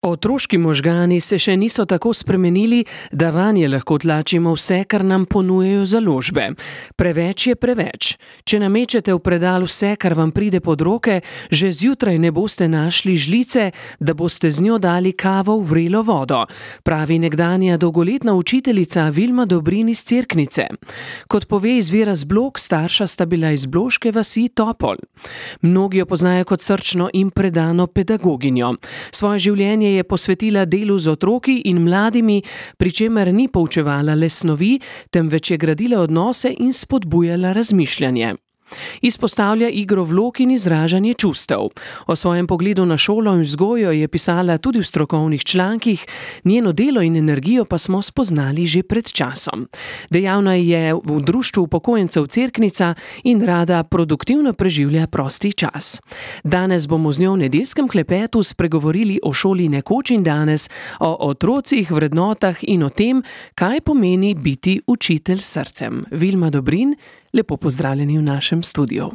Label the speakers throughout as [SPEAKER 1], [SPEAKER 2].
[SPEAKER 1] Otroški možgani se še niso tako spremenili, da vanje lahko tlačimo vse, kar nam ponujajo založbe. Preveč je preveč. Če namečete v predal vse, kar vam pride pod roke, že zjutraj ne boste našli žlice, da boste z njo dali kavo v vrelo vodo, pravi nekdanja dolgoletna učiteljica Vilma Dobrin iz Cerknice. Kot pove izvira z Blok, starša sta bila iz bloške vasi Topol. Mnogi jo poznajo kot srčno in predano pedagoginjo. Svoje življenje je posvetila delu z otroki in mladimi, pri čemer ni poučevala le snovi, temveč je gradila odnose in spodbujala razmišljanje. Izpostavlja igro vlog in izražanje čustev. O svojem pogledu na šolo in vzgojo je pisala tudi v strokovnih člankih, njeno delo in energijo pa smo spoznali že pred časom. Dejavna je v društvu upokojencev Cerknica in rada produktivno preživlja prosti čas. Danes bomo z njo v nedeljskem klepetu spregovorili o šoli nekoč in danes, o otrocih, vrednotah in o tem, kaj pomeni biti učitelj s srcem. Vilma Dobrin, lepo pozdravljeni v našem studiu.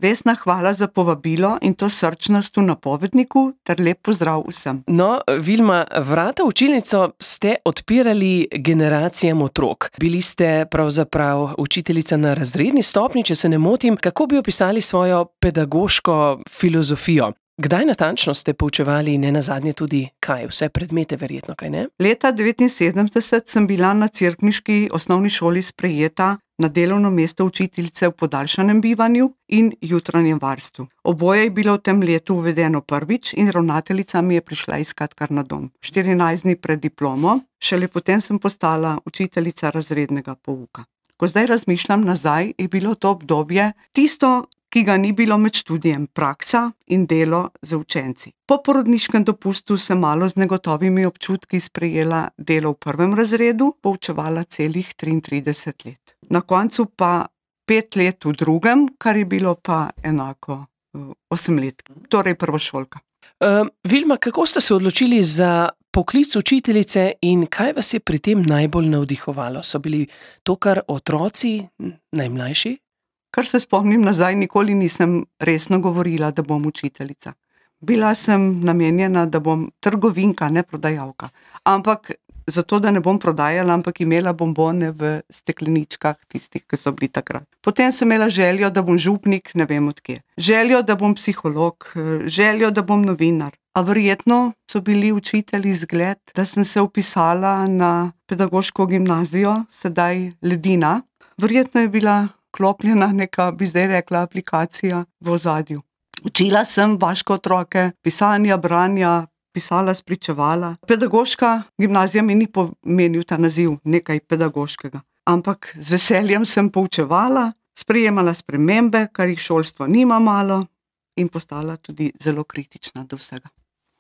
[SPEAKER 2] Vesna, hvala za povabilo in to srčnost v napovedniku ter lep pozdrav vsem.
[SPEAKER 1] No, Vilma, vrata v učilnico ste odpirali generacijam otrok. Bili ste pravzaprav učiteljica na razredni stopnji, če se ne motim. Kako bi opisali svojo pedagoško filozofijo? Kdaj natančno ste poučevali nenazadnje tudi kaj? Vse predmete verjetno, kaj ne?
[SPEAKER 2] Leta 1979 sem bila na cerkniški osnovni šoli sprejeta na delovno mesto učiteljice v podaljšanem bivanju in jutranjem varstvu. Oboje je bilo v tem letu uvedeno prvič in ravnateljica mi je prišla iskat kar na dom. 14 dni pred diplomo, šele potem sem postala učiteljica razrednega pouka. Ko zdaj razmišljam nazaj, je bilo to obdobje tisto, ki ga ni bilo med študijem, praksa in delo z učenci. Po porodniškem dopustu sem malo z negotovimi občutki sprejela delo v prvem razredu, poučevala celih 33 let. Na koncu pa 5 let v drugem, kar je bilo pa enako 8 let, torej prvošolka.
[SPEAKER 1] Vilma, kako ste se odločili za poklic učiteljice in kaj vas je pri tem najbolj navdihovalo? So bili to kar otroci, najmlajši?
[SPEAKER 2] Kar se spomnim nazaj, nikoli nisem resno govorila, da bom učiteljica. Bila sem namenjena, da bom trgovinka, ne prodajalka. Ampak zato, da ne bom prodajala, ampak imela bombone v stekleničkah, tistih, ki so bili takrat. Potem sem imela željo, da bom župnik, ne vem odkje. Željo, da bom psiholog, željo, da bom novinar. A verjetno so bili učitelji zgled, da sem se vpisala na pedagoško gimnazijo, sedaj Ledina. Verjetno je bila klopljena neka, bi zdaj rekla, aplikacija v ozadju. Učila sem vaške otroke, pisanja, branja, pisala, spričevala. Pedagoška gimnazija mi ni pomenil ta naziv nekaj pedagoškega, ampak z veseljem sem poučevala, sprejemala spremembe, kar jih šolstvo nima malo, in postala tudi zelo kritična do vsega.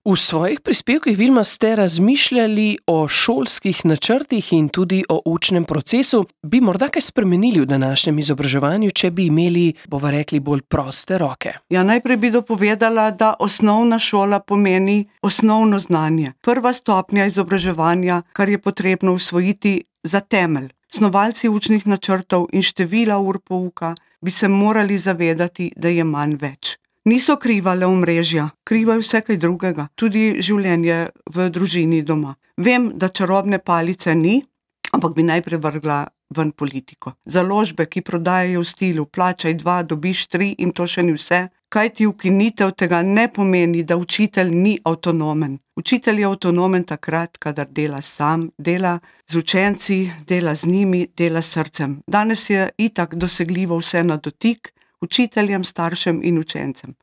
[SPEAKER 1] V svojih prispevkih, Vilma, ste razmišljali o šolskih načrtih in tudi o učnem procesu. Bi morda kaj spremenili v današnjem izobraževanju, če bi imeli, bova rekli, bolj proste roke?
[SPEAKER 2] Ja, najprej bi dopovedala, da osnovna šola pomeni osnovno znanje. Prva stopnja izobraževanja, kar je potrebno usvojiti za temelj. Snovalci učnih načrtov in števila ur pouka bi se morali zavedati, da je manj več. Niso kriva le omrežja, kriva je vse kaj drugega, tudi življenje v družini doma. Vem, da čarobne palice ni, ampak bi najprej vrgla ven politiko. Založbe, ki prodajajo v stilu plačaj 2, dobiš 3 in to še ni vse, kajti ukinitev tega ne pomeni, da učitelj ni avtonomen. Učitelj je avtonomen takrat, kadar dela sam, dela z učenci, dela z njimi, dela s srcem. Danes je itak dosegljivo vse na dotik, učiteljem, staršem in učencem.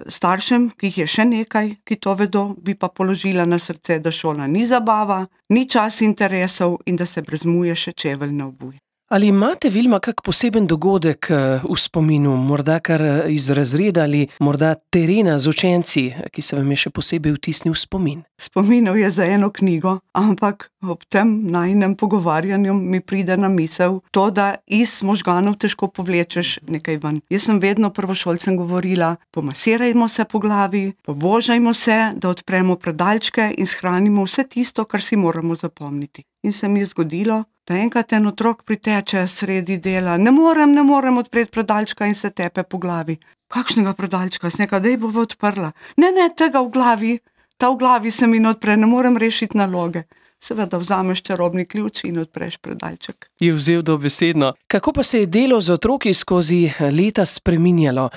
[SPEAKER 2] Staršem, ki jih je še nekaj, ki to vedo, bi pa položila na srce, da šola ni zabava, ni čas interesov in da se brez muje še čevelj ne obuje.
[SPEAKER 1] Ali imate, Vilma, kak poseben dogodek v spominu, morda kar iz razreda ali morda terena z učenci, ki se vam je še posebej vtisnil v spomin?
[SPEAKER 2] Spominov je za eno knjigo, ampak ob tem najinem pogovarjanju mi pride na misel to, da iz možganov težko povlečeš nekaj ven. Jaz sem vedno prvošolcem govorila, pomasirajmo se po glavi, pobožajmo se, da odpremo predalčke in shranimo vse tisto, kar si moramo zapomniti. In se mi je zgodilo, da enkrat en otrok priteče sredi dela, ne morem odpreti predalčka in se tepe po glavi. Kakšnega predalčka? Sem rekla, daj bova odprla. Ne, tega v glavi Ta v glavi se mi ne odpre, ne morem rešiti naloge. Seveda vzameš čarobni ključ in odpreš predalček.
[SPEAKER 1] Je vzel dobesedno. Kako pa se je delo z otroki skozi leta spreminjalo?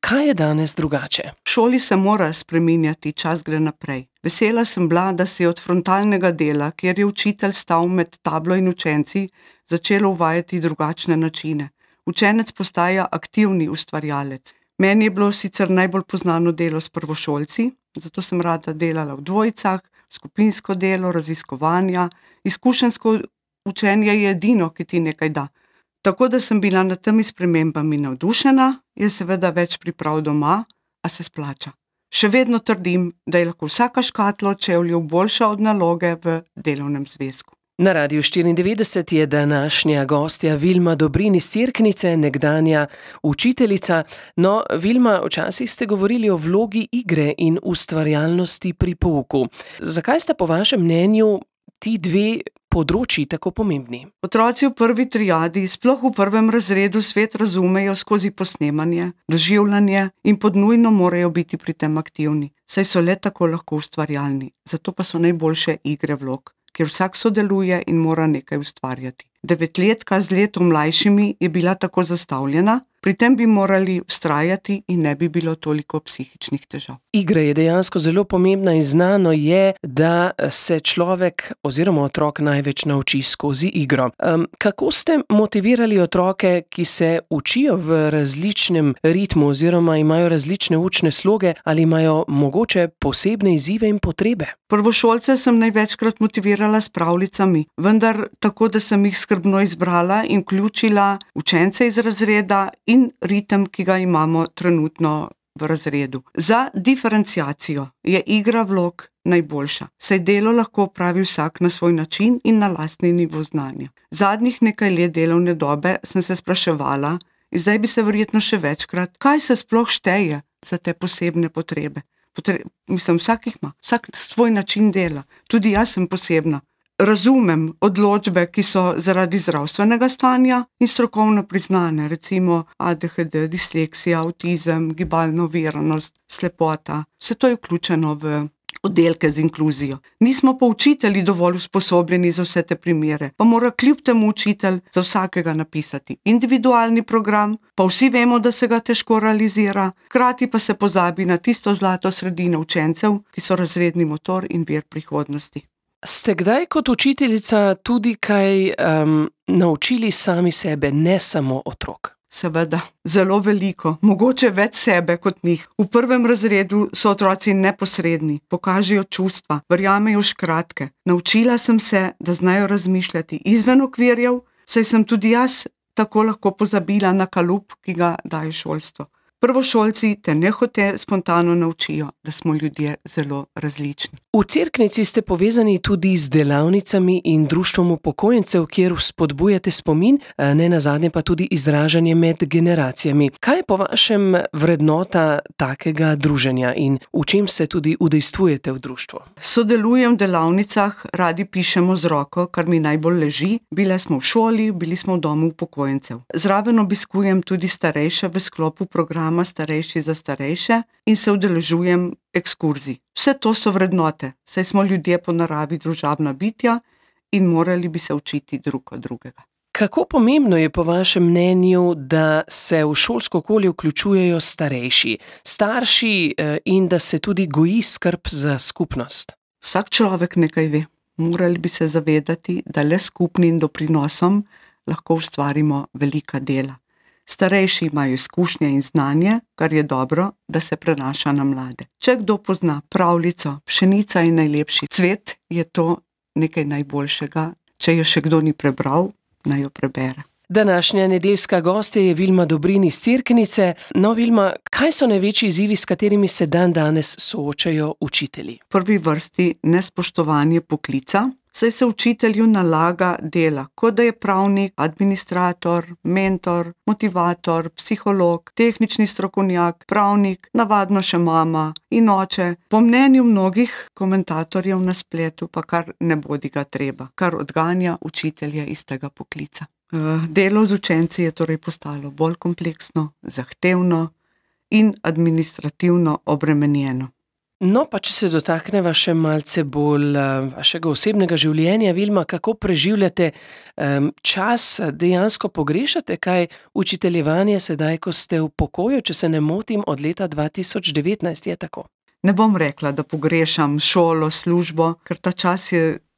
[SPEAKER 1] Kaj je danes drugače?
[SPEAKER 2] V šoli se mora spreminjati, čas gre naprej. Vesela sem bila, da se je od frontalnega dela, kjer je učitelj stal med tablo in učenci, začelo uvajati drugačne načine. Učenec postaja aktivni ustvarjalec. Meni je bilo sicer najbolj poznano delo s prvošolci, zato sem rada delala v dvojicah, skupinsko delo, raziskovanja, izkušenjsko učenje je edino, ki ti nekaj da. Tako da sem bila nad temi spremembami navdušena, je seveda več priprav doma, a se splača. Še vedno trdim, da je lahko vsaka škatla od čevljev boljša od naloge v delovnem zvezku.
[SPEAKER 1] Na Radiu 94 je današnja gostja Vilma Dobrin iz Cerknice, nekdanja učiteljica. No, Vilma, včasih ste govorili o vlogi igre in ustvarjalnosti pri pouku. Zakaj sta po vašem mnenju ti dve področji tako pomembni?
[SPEAKER 2] Otroci v prvi triadi, sploh v prvem razredu, svet razumejo skozi posnemanje, doživljanje in podnujno morajo biti pri tem aktivni, saj so le tako lahko ustvarjalni. Zato pa so najboljše igre vlog, kjer vsak sodeluje in mora nekaj ustvarjati. 9-letka z letom mlajšimi je bila tako zastavljena, pri tem bi morali vztrajati in ne bi bilo toliko psihičnih težav.
[SPEAKER 1] Igra je dejansko zelo pomembna in znano je, da se človek oziroma otrok največ nauči skozi igro. Kako ste motivirali otroke, ki se učijo v različnem ritmu oziroma imajo različne učne sloge ali imajo mogoče posebne izzive in potrebe?
[SPEAKER 2] Prvošolce sem največkrat motivirala s pravljicami, vendar tako, da sem jih skrbno izbrala in vključila učence iz razreda in ritem, ki ga imamo trenutno v razredu. Za diferenciacijo je igra vlog najboljša, saj delo lahko opravi vsak na svoj način in na lastni nivo znanja. Zadnjih nekaj let delovne dobe sem se spraševala, in zdaj bi se verjetno še večkrat, kaj se sploh šteje za te posebne potrebe. Vsak jih ima, vsak svoj način dela. Tudi jaz sem posebna. Razumem odločbe, ki so zaradi zdravstvenega stanja in strokovno priznane, recimo ADHD, disleksija, avtizem, gibalna oviranost, slepota. Vse to je vključeno v oddelke z inkluzijo. Nismo pa učitelji dovolj usposobljeni za vse te primere, pa mora kljub temu učitelj za vsakega napisati individualni program, pa vsi vemo, da se ga težko realizira, hkrati pa se pozabi na tisto zlato sredino učencev, ki so razredni motor in vir prihodnosti.
[SPEAKER 1] Ste kdaj kot učiteljica tudi kaj naučili sami sebe, ne samo otrok?
[SPEAKER 2] Seveda, zelo veliko, mogoče več sebe kot njih. V prvem razredu so otroci neposredni, pokažejo čustva, verjamejo škratke. Naučila sem se, da znajo razmišljati izven okvirjev, saj sem tudi jaz tako lahko pozabila na kalup, ki ga daje šolstvo. Prvošolci te nehote spontano naučijo, da smo ljudje zelo različni.
[SPEAKER 1] V Cerknici ste povezani tudi z delavnicami in društvom upokojencev, kjer spodbujate spomin, ne nazadnje pa tudi izražanje med generacijami. Kaj je po vašem vrednota takega druženja in v čem se tudi udejstvujete v društvu?
[SPEAKER 2] Sodelujem v delavnicah, radi pišemo z roko, kar mi najbolj leži. Bile smo v šoli, bili smo v domu upokojencev. Zraven obiskujem tudi starejše v sklopu programa Starejši za starejše in se udeležujem ekskurzij. Vse to so vrednote, saj smo ljudje po naravi družabna bitja in morali bi se učiti drug od drugega.
[SPEAKER 1] Kako pomembno je po vašem mnenju, da se v šolsko okolje vključujejo starejši, starši in da se tudi goji skrb za skupnost?
[SPEAKER 2] Vsak človek nekaj ve. Morali bi se zavedati, da le skupnim doprinosom lahko ustvarimo velika dela. Starejši imajo izkušnje in znanje, kar je dobro, da se prenaša na mlade. Če kdo pozna pravljico Pšenica je najlepši cvet, je to nekaj najboljšega. Če jo še kdo ni prebral, naj jo prebere.
[SPEAKER 1] Današnja nedeljska gostja je Vilma Dobrin iz Cerknice. No, Vilma, kaj so največji izzivi, s katerimi se dandanes soočajo učitelji?
[SPEAKER 2] V prvi vrsti nespoštovanje poklica, saj se učitelju nalaga dela, kot da je pravnik, administrator, mentor, motivator, psiholog, tehnični strokovnjak, pravnik, navadno še mama in oče. Po mnenju mnogih komentatorjev na spletu pa kar ne bodi ga treba, kar odganja učitelje iz tega poklica. Delo z učenci je torej postalo bolj kompleksno, zahtevno in administrativno obremenjeno.
[SPEAKER 1] No, pa če se dotakneva še malce bolj vašega osebnega življenja, Vilma, kako preživljate čas, dejansko pogrešate kaj učiteljevanje sedaj, ko ste v pokoju, če se ne motim, od leta 2019, je tako?
[SPEAKER 2] Ne bom rekla, da pogrešam šolo, službo, ker ta čas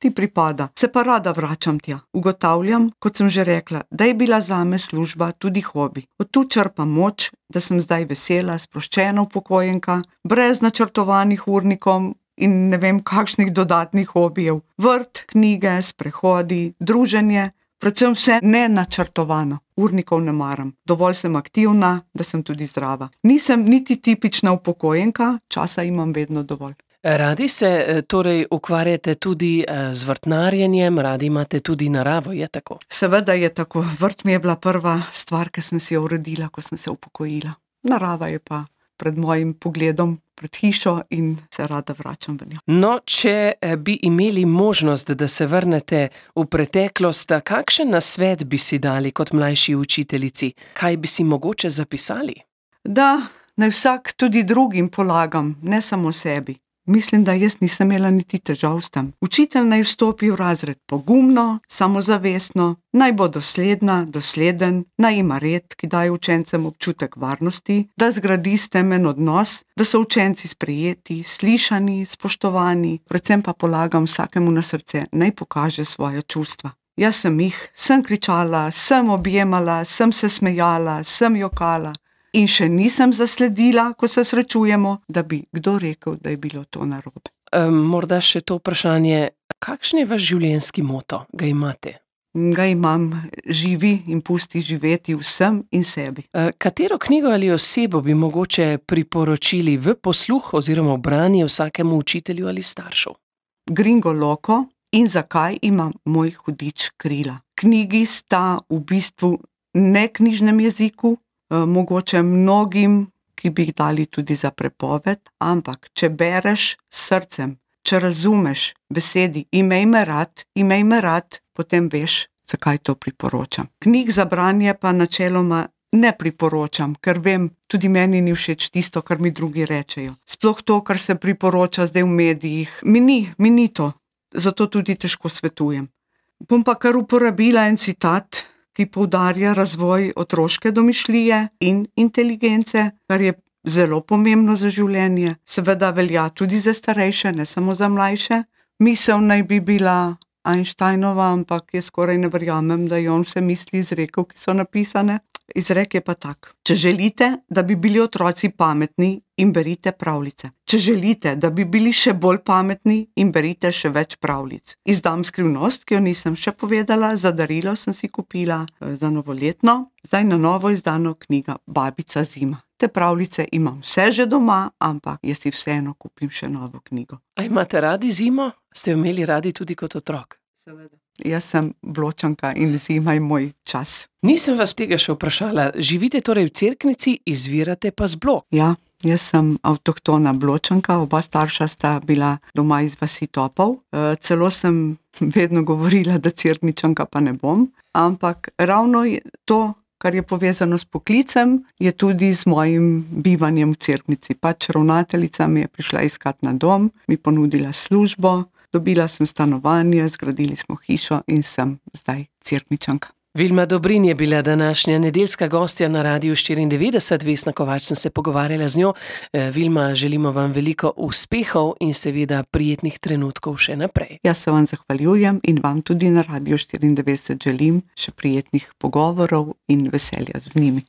[SPEAKER 2] ti pripada. Se pa rada vračam tja. Ugotavljam, kot sem že rekla, da je bila zame služba tudi hobi. Od tu črpam moč, da sem zdaj vesela, sproščena upokojenka, brez načrtovanih urnikov in ne vem kakšnih dodatnih hobijev. Vrt, knjige, sprehodi, druženje, predvsem vse nenačrtovano. Urnikov ne maram. Dovolj sem aktivna, da sem tudi zdrava. Nisem niti tipična upokojenka, časa imam vedno dovolj.
[SPEAKER 1] Radi se torej ukvarjate tudi z vrtnarjenjem, radi imate tudi naravo, je tako?
[SPEAKER 2] Seveda je tako. Vrt mi je bila prva stvar, ki sem si jo uredila, ko sem se upokojila. Narava je pa pred mojim pogledom, pred hišo in se rada vračam v njo.
[SPEAKER 1] No, če bi imeli možnost, da se vrnete v preteklost, kakšen nasvet bi si dali kot mlajši učiteljici? Kaj bi si mogoče zapisali?
[SPEAKER 2] Da naj vsak tudi drugim polagam, ne samo sebi. Mislim, da jaz nisem imela niti težav s tem. Učitelj naj vstopi v razred pogumno, samozavestno, naj bo dosledna, dosleden, naj ima red, ki daje učencem občutek varnosti, da zgradi stemen odnos, da so učenci sprejeti, slišani, spoštovani, predvsem pa polagam vsakemu na srce, naj pokaže svoja čustva. Jaz sem kričala, sem objemala, sem se smejala, sem jokala. In še nisem zasledila, ko se srečujemo, da bi kdo rekel, da je bilo to narobe.
[SPEAKER 1] Morda še to vprašanje, kakšen je vaš življenjski moto? Ga imate?
[SPEAKER 2] Ga imam, živi in pusti živeti vsem in sebi.
[SPEAKER 1] Katero knjigo ali osebo bi mogoče priporočili v posluh oziroma v branje vsakemu učitelju ali staršu?
[SPEAKER 2] Gringo Loco in Zakaj ima moj hudič krila. Knjigi sta v bistvu neknjižnem jeziku, mogoče mnogim, ki bi jih dali tudi za prepoved, ampak če bereš s srcem, če razumeš besedi imej me rad, potem veš, zakaj to priporočam. Knjig za branje pa načeloma ne priporočam, ker vem, tudi meni ni všeč tisto, kar mi drugi rečejo. Sploh to, kar se priporoča zdaj v medijih, mi ni to, zato tudi težko svetujem. Bom pa kar uporabila en citat, ki poudarja razvoj otroške domišljije in inteligence, kar je zelo pomembno za življenje. Seveda velja tudi za starejše, ne samo za mlajše. Misel naj bi bila Einsteinova, ampak jaz skoraj ne verjamem, da je on vse misli izrekel, ki so napisane. Izrek je pa tak. Če želite, da bi bili otroci pametni, jim berite pravljice. Če želite, da bi bili še bolj pametni, jim berite še več pravljic. Izdam skrivnost, ki jo nisem še povedala, za darilo sem si kupila za novoletno, zdaj na novo izdano knjiga Babica zima. Te pravljice imam vse že doma, ampak jaz si vseeno kupim še novo knjigo.
[SPEAKER 1] A imate radi zimo? Ste jo imeli radi tudi kot otrok?
[SPEAKER 2] Seveda. Jaz sem Bločanka in zima je moj čas.
[SPEAKER 1] Nisem vas tega še vprašala. Živite torej v Cerknici, izvirate pa z Blok?
[SPEAKER 2] Ja, jaz sem avtohtona Bločanka, oba starša sta bila doma iz vasi Topov. Celo sem vedno govorila, da Cerkničanka pa ne bom, ampak ravno to, kar je povezano s poklicem, je tudi z mojim bivanjem v Cerknici. Pač ravnateljica mi je prišla iskat na dom, mi ponudila službo, dobila sem stanovanje, zgradili smo hišo in sem zdaj Cerkničanka.
[SPEAKER 1] Vilma Dobrin je bila današnja nedeljska gostja na Radiu 94, Vesna Kovač sem se pogovarjala z njo. Vilma, želimo vam veliko uspehov in seveda prijetnih trenutkov še naprej.
[SPEAKER 2] Jaz se vam zahvaljujem in vam tudi na Radiu 94 želim še prijetnih pogovorov in veselja z njimi.